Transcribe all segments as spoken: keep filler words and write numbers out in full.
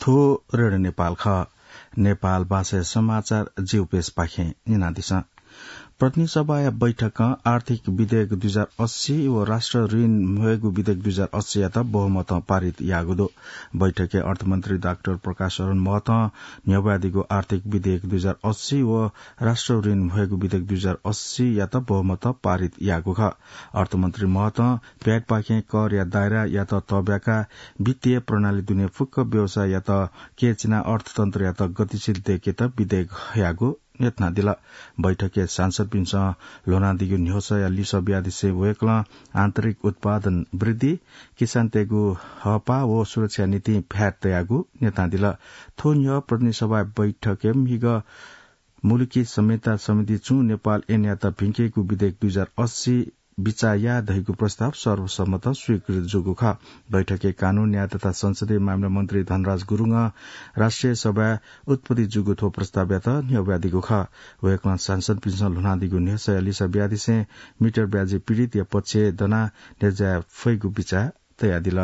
थ्व रेडियो नेपाल खः। नेपाल भाषाया समाचार जिउपेसपाखें न्यनादिसँ। प्रतिनिधि सभाया बैठकं आर्थिक विधेयक दुई हजार अस्सी व राष्ट्र ऋण ह्वयेगु विधेयक दुई हजार अस्सीयात बहुमतं पारित याःगु दु। बैठकय् अर्थमन्त्री डाक्टर प्रकाश शरण महतं न्ह्यब्वयादीगु आर्थिक विधेयक दुई हजार अस्सी व राष्ट्र ऋण ह्वयेगु विधेयक दुई हजार अस्सीयात बहुमतं पारित याःगु खः। अर्थमन्त्री महतं भ्याटपाखें करया दायरायात तब्याकाः वित्तीय प्रणाली दुने फुक्क व्यवसाययात केहेँ चिनाः अर्थतन्त्रयात गतिशील दय्केत विधेयक हयागु न्ह्यथनादिल। बैठकय् सांसदपिन्सं ल्ह्वनादीगु न्ह्यसःया लिसः बियादिसें वय्कलं आन्तरिक उत्पादन वृद्धि, किसानतय्गु हःपाः व सुरक्षा निंतिं भ्याट तयागु न्ह्यथनादिल। थ्व न्ह्यः प्रतिनिधि सभा बैठकय् म्हिगः मुलुकी संहिता सम्बन्धी छुं नेपाल ऐनयात भिंकेगु विधेयक दुई हजार अस्सी बिचाः याः धइगु प्रस्ताव सर्वसम्मत स्वीकृत जूगु खः। बैठकय् कानून, न्याय तथा संसदीय मामिला मन्त्री धनराज गुरुङं राष्ट्रिय सभाय् उत्पत्ति जूगु थ्व प्रस्तावयात न्ह्यब्वयादीगु खः। वय्कलं सांसदपिन्सं ल्ह्वनादीगु न्ह्यसःया लिसः बियादिसें मिटर ब्याजी पीडितया पक्षय् दनाः न्ह्यज्याये फइगु बिचाः तयादिल।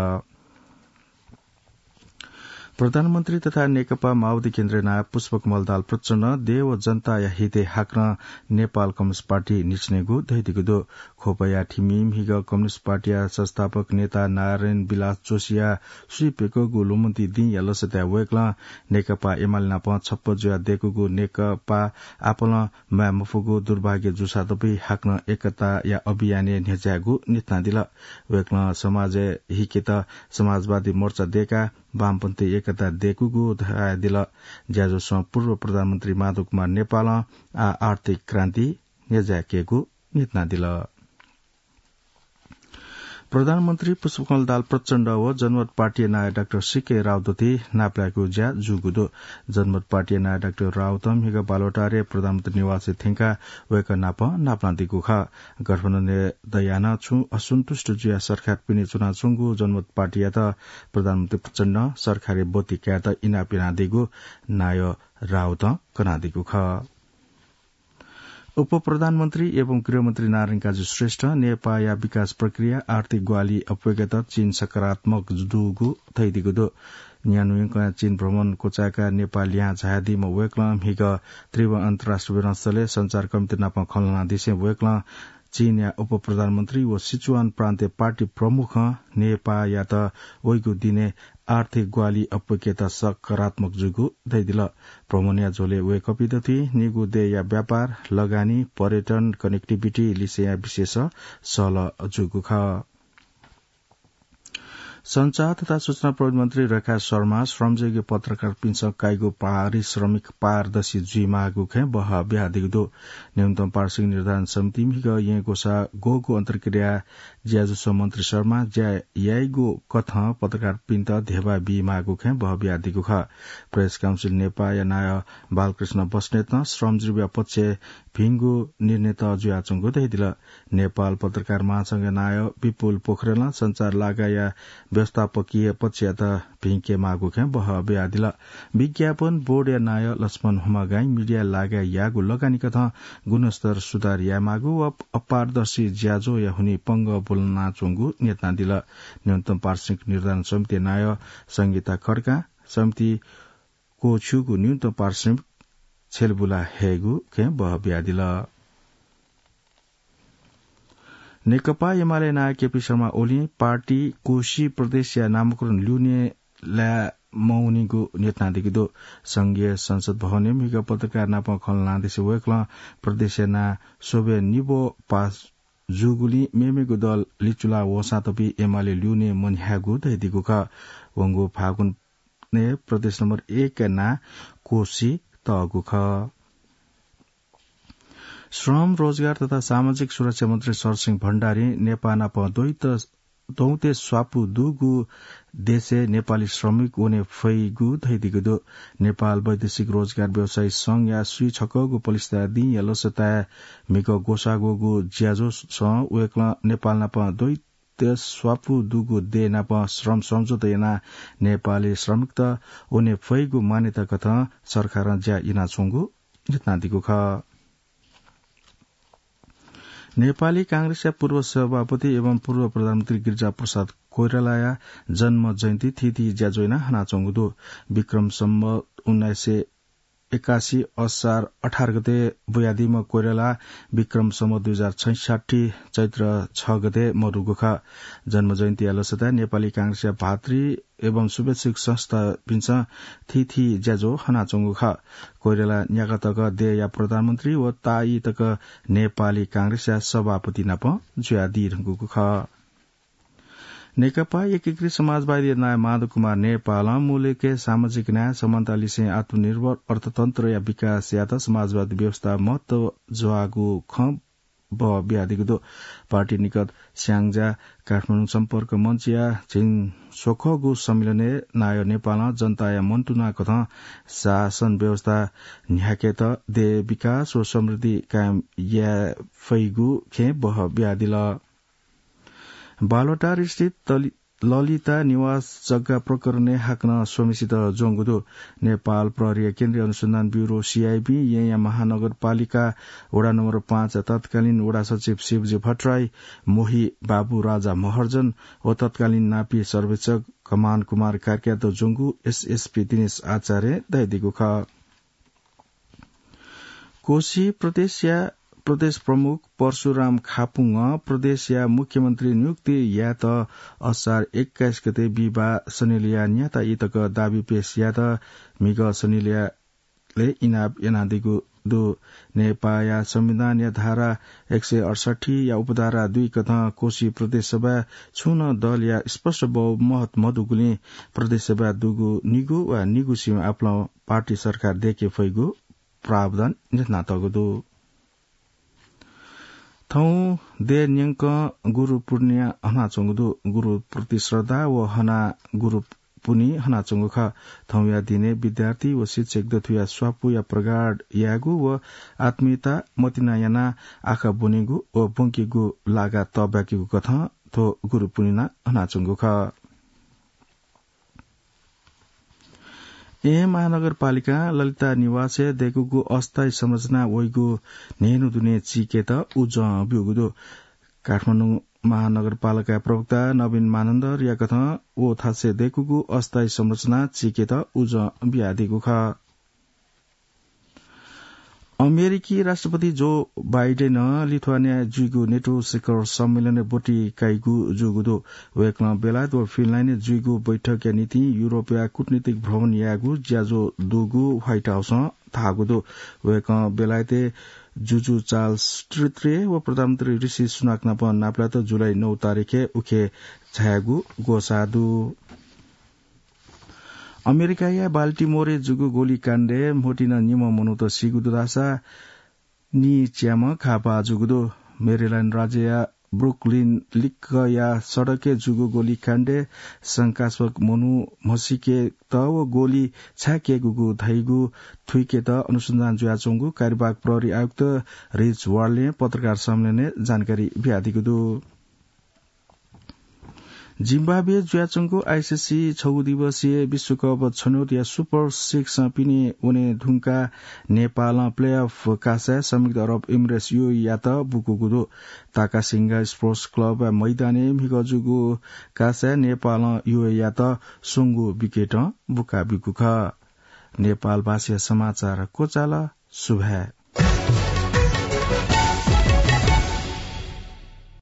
प्रधानमन्त्री तथा नेकपा माओवादी केन्द्रीय नायः पुष्पकमल दाहाल प्रचण्डं देय् व जनताया हितय् हाकनं नेपाल कम्युनिस्ट पार्टी न्ह्यचिनेगु धयादीगु दु। ख्वपया थिमि म्हिगः कम्युनिस्ट पार्टीया संस्थापक नेता नारायण विलास जोशीया स्वीप्यकःगु ल्वःमतिइ दिंया लसताय् वय्कलं नेकपा एमाले नाप छप्पँ जुयाः दय्कूगु नेकपा आपालं म्वाये मफुगु दुर्भाग्य जूसातपि हाकनं एकताया अभियानय् न्ह्यज्यायेगु न्ह्यथनादिल। वय्कलं समाजय् हिकेत समाजवादी मोर्चा दय्काः वामपन्थी एकता दय्कूगु धयादिल। ज्याझ्वलय् पूर्व प्रधानमन्त्री माधव कुमार नेपालं आः आर्थिक क्रान्ति न्ह्यज्यायेकेगु न्ह्यथनादिल। प्रधानमन्त्री पुष्पकमल दाहाल प्रचण्ड व जनमत पार्टीया नायः डाक्टर सीके राउत थें नापलायेगु ज्या जूगु दु। जनमत पार्टीया नायः डाक्टर राउतं म्हिगः बालुवाटारय् प्रधानमन्त्री निवासय् थ्यंकाः वय्कः नाप नापलानादीगु खः। गठबन्धनय् दयाः नं छुं असन्तुष्ट जुयाः सरकार पिने च्वनाच्वंगु जनमत पार्टीयात प्रधानमन्त्री प्रचण्डं सरकारय् ब्वति कायेत इनाप यानादीगु नायः राउतं कनादीगु खः। उपप्रधानमन्त्री एवं गृहमन्त्री नारायण काजी श्रेष्ठं नेपाःया विकास प्रक्रिया, आर्थिक ग्वाहालि अप्वय्केत चीन सकारात्मक दुगु धयादीगु दु। न्यान्हुइकं चीन भ्रमण क्वचाय्काः नेपाः लिहां झायादीम्ह वय्कलं म्हिगः त्रिभुवन अन्तर्राष्ट्रिय विमानस्थलय् सञ्चारकर्मीत नाप खँ ल्हानादिसें वय्कलं चीनया उपप्रधानमन्त्री व सिचुवान प्रान्तय् पार्टी प्रमुखं नेपाःयात वइगु दिनय् आर्थिक ग्वाहालि अप्वय्केत सकारात्मक जूगु धयादिल। भ्रमणया झ्वलय् वय्कःपिन्त थें निगू देय्या व्यापार, लगानी, पर्यटन, connectivity लिसेंया विषयय् सहलह जूगु खः। सञ्चार तथा सूचना प्रविधि मन्त्री रेखा शर्मां श्रमजीवी पत्रकारपिन्सं काइगु पारिश्रमिक पारदर्शी जुइमाःगु खँय् बहः बियादीगु दु। न्यूनतम पारिश्रमिक निर्धारण समितिं म्हिगः येँ ग्वसाः ग्वःगु अन्तर्क्रिया ज्याझ्वलय् मन्त्री शर्मां ज्या याइगु कथं पत्रकारपिन्त ध्यबा बीमाःगु खँय् बहः बियादीगु खः। प्रेस काउन्सिल नेपाःया नायः बालकृष्ण बस्नेतं श्रमजीवीया पक्षय् भिंगु निर्णयत जुयाच्वंगु धयादिल। नेपाल पत्रकार महासंघया नायः विपुल पोखरेलं सञ्चार लागाःया व्यवस्थापकीय पक्षयात भिंकेमाःगु खँय् बहः बियादिल। विज्ञापन बोर्डया नायः लक्ष्मण हुमागाईं मिडिया लागाय् याःगु लगानी कथं गुणस्तर सुधार यायेमाःगु व अपारदर्शी ज्याझ्वःया हुनिं पंगः ब्वलनाच्वंगु न्ह्यथनादिल। न्यूनतम पारिश्रमिक निर्धारण समितिया नायः संगीता खड्कां समिति क्वःछिउगु न्यूनतम पारिश्रमिक छ्यलेबुला हयेगु खँय् बहः बियादिल। नेकपा एमाले नायः केपी शर्मा ओलीं पार्टी कोशी प्रदेशया नामकरण ल्यूने लाये मवनीगु न्ह्यथनादीगु दु। संघीय संसद भवनय् म्हिगः पत्रकार नाप खँ ल्हानादिसें वय्कलं प्रदेशया नां स्वब्वये निब्व पास जूगुलिं मेमेगु दल लिचुला वःसां तपि एमाले ल्यूने मन्ह्याःगु धयादीगु खः। वंगु फागुनय् प्रदेश नम्बर एकया नां कोशी तःगु खः। श्रम, रोजगार तथा सामाजिक सुरक्षा मन्त्री शरसिंह भण्डारीं नेपाः नाप द्वैत दौंतय् स्वापू दुगु देशय् नेपाली श्रमिक वने फइगु धयादीगु दु। नेपाल वैदेशिक रोजगार व्यवसायी संघया स्वीछकःगु पलिस्था दिंया लसताय् म्हिगः ग्वसाः ग्वःगु ज्याझ्वलय् वय्कलं नेपाः नाप द्वैत स्वापू दुगु देय् नाप श्रम सम्झौता यानाः नेपाली श्रमिकत वने फइगु मान्यता कथं सरकारं ज्या यानाच्वंगु न्ह्यथनादीगु खः। नेपाली कांग्रेसया पूर्व सभापति एवं पूर्व प्रधानमन्त्री गिरिजा प्रसाद कोइरालाया जन्म जयन्ती थीथी ज्याझ्वः याना हनाच्वंगु दु। विक्रम सम्वत उन्नाइस सय एकासी असार अठार गते बुयादीम्ह कोइराला विक्रम सम्वत दुई हजार छैसट्ठी चैत्र छ गते मदुगु खः। जन्म जयन्तीया लसताय् नेपाली कांग्रेसया भातृ एवं शुभेच्छुक संस्थापिन्सं थीथी ज्याझ्वः हनाच्वंगु खः। कोइराला न्यागः तक देय्‌या प्रधानमन्त्री व ताःई तक नेपाली कांग्रेसया सभापति नाप जुयादी धुंकूगु खः। नेकपा एकीकृत समाजवादी नायः माधव कुमार नेपालं मुलुकय् सामाजिक न्याय, समानता लिसें आत्मनिर्भर अर्थतन्त्रया विकासयात समाजवादी व्यवस्था महत्व ज्वाःगु खँ बहः बियादीगु दु। पार्टी निकट स्याङ्जा काठमाडौं सम्पर्क मञ्चया झिंस्वखःगु सम्मेलनय् नायः नेपालं जनताया मन्तुना कथं शासन व्यवस्था न्ह्याकेत देय् विकास व समृद्धि कायम याये फइगु खँ बहः बियादिल। बालुवाटार स्थित तलि-, ललिता निवास जग्गा प्रकरणय् हाकनं स्वम्हेसित ज्वंगु दु। नेपाल प्रहरीया केन्द्रीय अनुसन्धान ब्यूरो, सीआईबी, येँया महानगरपालिका वडा नम्बर पाँच तत्कालीन वडा सचिव शिवजी भट्टराई, मोही बाबु राजा महर्जन व तत्कालीन नापी सर्वेक्षक कमान कुमार कार्कीयात ज्वंगु एसएसपी दिनेश आचार्यं धयादीगु खः। कोशी प्रदेशया प्रदेश प्रमुख परशुराम खापुङं प्रदेशया मुख्यमन्त्री नियुक्ति यायेत असार एक्काइस गते बिहिबार शनिलया न्याता इतक दाबी पेश यायेत म्हिगः शनिलय् इनाप यानादीगु दु। नेपाःया संविधानया धारा एक सय अठसट्ठी या उपधारा दुई कथं कोशी प्रदेश सभाय् छुं नं दलया स्पष्ट बहुमत मदुगुलिं प्रदेश सभाय् दुगु निगू वा निगू सीम्ह आपालं पार्टी सरकार दयेके फइगु प्रावधान न्ह्यथनातःगु दु। थौं देय् न्यंकं गुरु पूर्णिमा हनाच्वंगु दु। गुरुप्रति श्रद्धा व हना गुरु पुन्हि हनाच्वंगु खः। थौंया दिनय् विद्यार्थी व शिक्षक दथुया स्वापूया प्रगाढ यायेगु व आत्मीयता मतिना यानाः आखः ब्वनेगु व ब्वंकेगु लागा तःब्याकेगु कथं थ्व गुरु पूर्णिमा हनाच्वंगु खः। येँ महानगरपालिकां ललिता निवासय् दय्कूगु अस्थायी संरचना वइगु न्हय्न्हु दुने चीकेत उजं ब्यूगु दु। काठमाडौं महानगरपालिका प्रवक्ता नवीन मानन्धरया कथं व थासय् दय्कूगु अस्थायी संरचना चीकेत उजं बियादीगु खः। अमेरिकी राष्ट्रपति जो बाइडेनं लिथुवानियाय् जुइगु नेटो शिखर सम्मेलनय् ब्वति काइगु जूगु दु। वय्कलं बेलायत व फिनल्याण्डय् जुइगु बैठकया निंतिं युरोपया कूटनीतिक भ्रमण यायेगु ज्याझ्वः दुगु व्हाइट हाउसं धाःगु दु। वय्कलं बेलायतय् जुजु चार्ल्स तृतीय व प्रधानमन्त्री ऋषि सुनाक नाप नापलात जुलाई नौ तारिखय् उखे झायेगु ग्वसाः दु। अमेरिकाया बाल्टिमोरय् जूगु गोलीकाण्डय् म्होतिं निम्ह मनूत सीगु दु धाःसा नीच्याम्ह घाःपाः जूगु दु। मेरील्याण्ड राज्यया ब्रुकलिन लिक्कया सडकय् जूगु गोलीकाण्डय् शंकास्पद मनू म्हसीकेत व गोली छाय् क्ययेगु धइगु थुइकेत अनुसन्धान जुयाच्वंगु कार्यवाहक प्रहरी आयुक्त रिच वार्लें पत्रकार सम्मेलनय् जानकारी बियादीगु दु। जिम्बाब्वेय् जुयाच्वंगु आइसिसी छगू दिवसीय विश्वकप छनौटया सुपर सिक्सं पिने वने धुंकाः नेपालं प्लेअफ कासाय् संयुक्त अरब इमिरेट्स युएईयात बुकूगु दु। ताकासिंगा स्पोर्ट्स क्लबया मैदानय् म्हिगः जूगु कासाय् नेपालं युएईयात स्वंगू विकेटं बुका ब्यूगु खः। नेपाल भाषाया समाचार क्वचाल। सुभाय्।